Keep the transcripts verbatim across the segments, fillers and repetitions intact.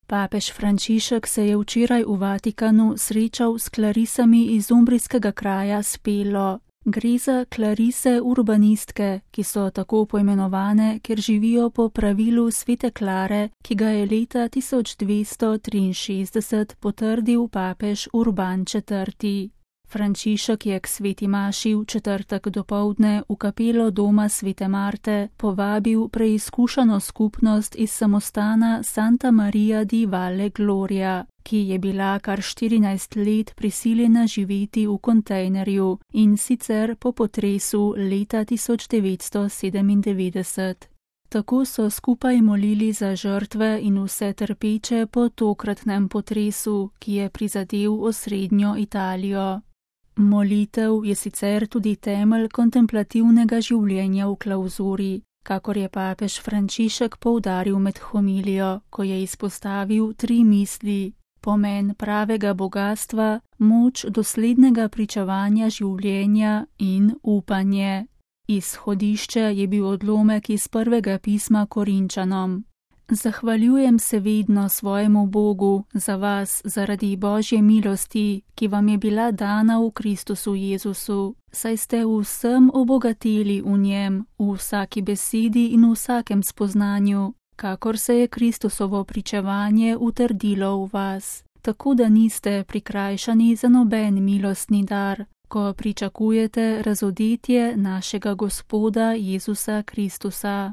Papež Frančišek se je včeraj v Vatikanu srečal s klarisami iz umbrijskega kraja Spelo. Gre za klarise urbanistke, ki so tako poimenovane, ker živijo po pravilu svete Klare, ki ga je leta tisoč dvesto triinšestdeset potrdil papež Urban četrti. Frančišek je k sveti maši v četrtek dopoldne v kapelo doma svete Marte povabil preizkušano skupnost iz samostana Santa Maria di Valle Gloria, ki je bila kar štirinajst let prisiljena živeti v kontejnerju, in sicer po potresu leta tisoč devetsto sedemindevetdeset. Tako so skupaj molili za žrtve in vse trpeče po tokratnem potresu, ki je prizadel osrednjo Italijo. Molitev je sicer tudi temelj kontemplativnega življenja v klauzuri, kakor je papež Frančišek poudaril med homilijo, ko je izpostavil tri misli: pomen pravega bogastva, moč doslednega pričevanja življenja in upanje. Izhodišče je bil odlomek iz prvega pisma Korinčanom. Zahvaljujem se vedno svojemu Bogu za vas zaradi Božje milosti, ki vam je bila dana v Kristusu Jezusu, saj ste vsem obogateli v njem, v vsaki besedi in v vsakem spoznanju, kakor se je Kristusovo pričevanje utrdilo v vas, tako da niste prikrajšani za noben milostni dar, ko pričakujete razodetje našega Gospoda Jezusa Kristusa.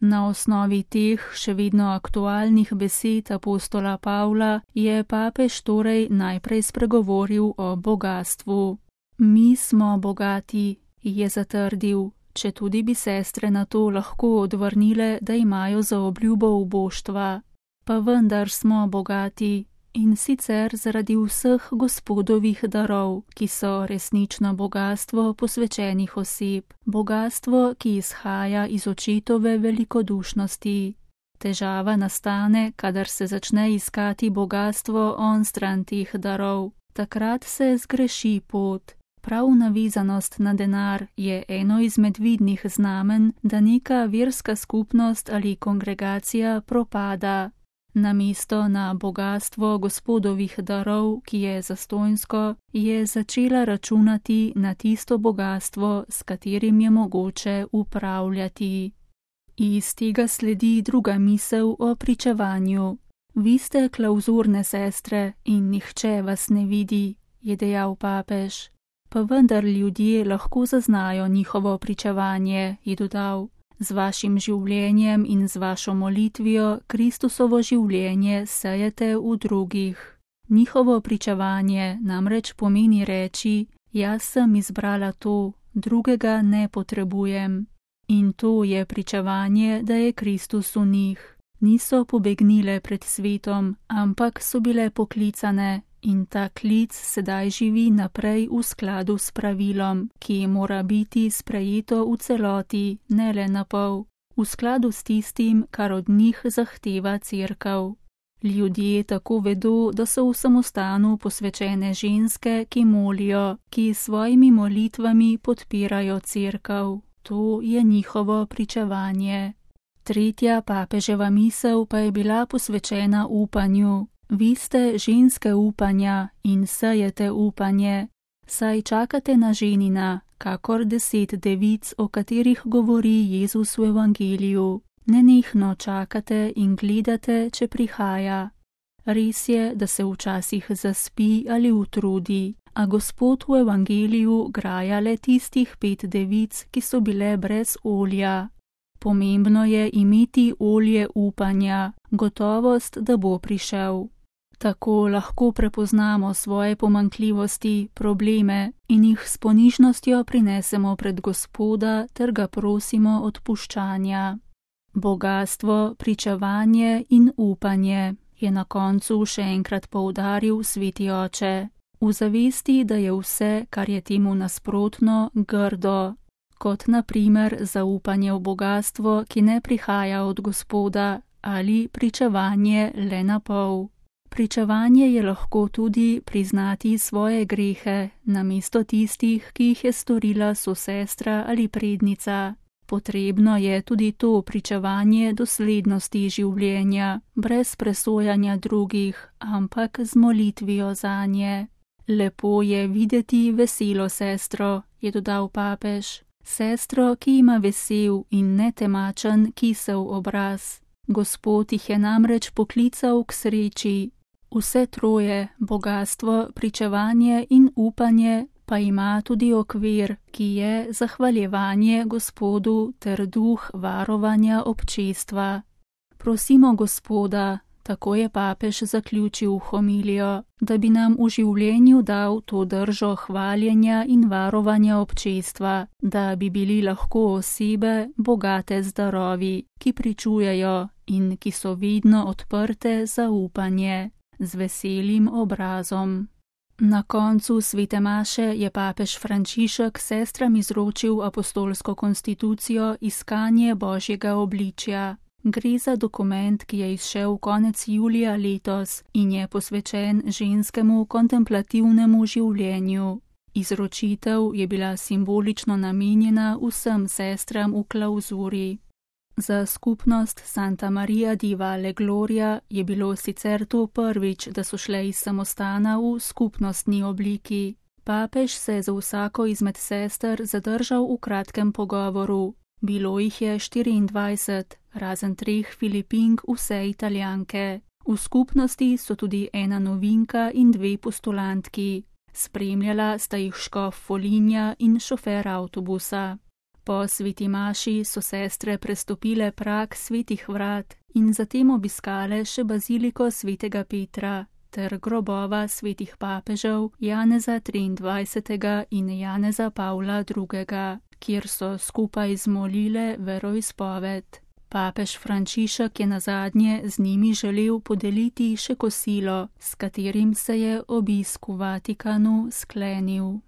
Na osnovi teh še vedno aktualnih besed apostola Pavla je papež torej najprej spregovoril o bogastvu. Mi smo bogati, je zatrdil, četudi bi sestre na to lahko odvrnile, da imajo za obljubo uboštva. Pa vendar smo bogati, in sicer zaradi vseh Gospodovih darov, ki so resnično bogastvo posvečenih oseb, bogastvo, ki izhaja iz očetove velikodušnosti. Težava nastane, kadar se začne iskati bogastvo onstran teh darov. Takrat se zgreši pot. Prav navezanost na denar je eno izmed vidnih znamen, da neka verska skupnost ali kongregacija propada. Namesto na bogastvo Gospodovih darov, ki je zastonjsko, je začela računati na tisto bogastvo, s katerim je mogoče upravljati. Iz tega sledi druga misel o pričevanju. Vi ste klauzurne sestre in nihče vas ne vidi, je dejal papež. Pa vendar ljudje lahko zaznajo njihovo pričevanje, je dodal. Z vašim življenjem in z vašo molitvijo Kristusovo življenje sejete v drugih. Njihovo pričevanje namreč pomeni reči: jaz sem izbrala to, drugega ne potrebujem. In to je pričevanje, da je Kristus v njih. Niso pobegnile pred svetom, ampak so bile poklicane. In ta klic sedaj živi naprej v skladu s pravilom, ki mora biti sprejeto v celoti, ne le na pol, v skladu s tistim, kar od njih zahteva cerkev. Ljudje tako vedo, da so v samostanu posvečene ženske, ki molijo, ki s svojimi molitvami podpirajo cerkev. To je njihovo pričevanje. Tretja papeževa misel pa je bila posvečena upanju. Vi ste ženske upanja in sejete upanje, saj čakate na ženina, kakor deset devic, o katerih govori Jezus v evangeliju. Nenehno čakate in gledate, če prihaja. Res je, da se včasih zaspi ali utrudi, a Gospod v evangeliju graja le tistih pet devic, ki so bile brez olja. Pomembno je imeti olje upanja, gotovost, da bo prišel. Tako lahko prepoznamo svoje pomanjkljivosti, probleme in jih s ponižnostjo prinesemo pred Gospoda ter ga prosimo odpuščanja. Bogastvo, pričevanje in upanje, je na koncu še enkrat poudaril sveti oče, v zavesti, da je vse, kar je temu nasprotno, grdo, kot na primer zaupanje v bogastvo, ki ne prihaja od Gospoda, ali pričevanje le na pol. Pričevanje je lahko tudi priznati svoje grehe, namesto tistih, ki jih je storila sosestra ali prednica. Potrebno je tudi to pričevanje doslednosti življenja, brez presojanja drugih, ampak z molitvijo zanje. Lepo je videti veselo sestro, je dodal papež. Sestro, ki ima vesel in netemačen kisel obraz. Gospod jih je namreč poklical k sreči. Vse troje, bogastvo, pričevanje in upanje, pa ima tudi okvir, ki je zahvaljevanje Gospodu ter duh varovanja občestva. Prosimo Gospoda, tako je papež zaključil homilijo, da bi nam v življenju dal to držo hvaljenja in varovanja občestva, da bi bili lahko osebe bogate z darovi, ki pričujejo in ki so vedno odprte za upanje, z veselim obrazom. Na koncu svete maše je papež Frančišek sestram izročil apostolsko konstitucijo Iskanje Božjega obličja. Gre za dokument, ki je izšel konec julija letos in je posvečen ženskemu kontemplativnemu življenju. Izročitev je bila simbolično namenjena vsem sestram v klauzuri. Za skupnost Santa Maria di Valle Gloria je bilo sicer to prvič, da so šle iz samostana v skupnostni obliki. Papež se je za vsako izmed sester zadržal v kratkem pogovoru. Bilo jih je štiriindvajset, razen treh Filipink, vse Italijanke. V skupnosti so tudi ena novinka in dve postulantki. Spremljala sta jih škof Foligna in šofer avtobusa. Po sveti maši so sestre prestopile prag svetih vrat in zatem obiskale še baziliko svetega Petra ter grobova svetih papežev Janeza triindvajsetega in Janeza Pavla drugega, kjer so skupaj zmolile veroizpoved. Papež Frančišek je nazadnje z njimi želel podeliti še kosilo, s katerim se je obisk v Vatikanu sklenil.